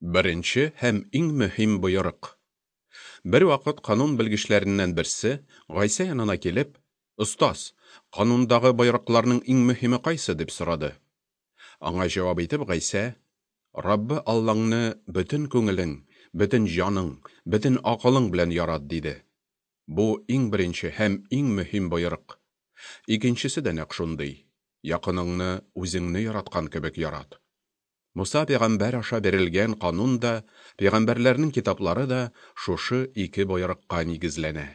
Беренче һәм иң мөһим боерык. Бервакыт канун белгечләреннән берсе, Гайсә янына килеп, Остаз, канундагы боерыкларның иң мөһиме кайсы? дип сорады. Аңа җавап итеп Гайсә, Раббы Аллаңны бөтен күңелең, бөтен җаның, бөтен акылың белән ярат, диде. Бу иң беренче һәм иң мөһим боерык. Икенчесе дә нәкъ шундый: якыныңны үзеңне яраткан кебек ярат. Муса пәйгамбәр аша бирелгән канун да, пәйгамбәрләрнең китаплары да шушы ике боерыкка нигезләнә.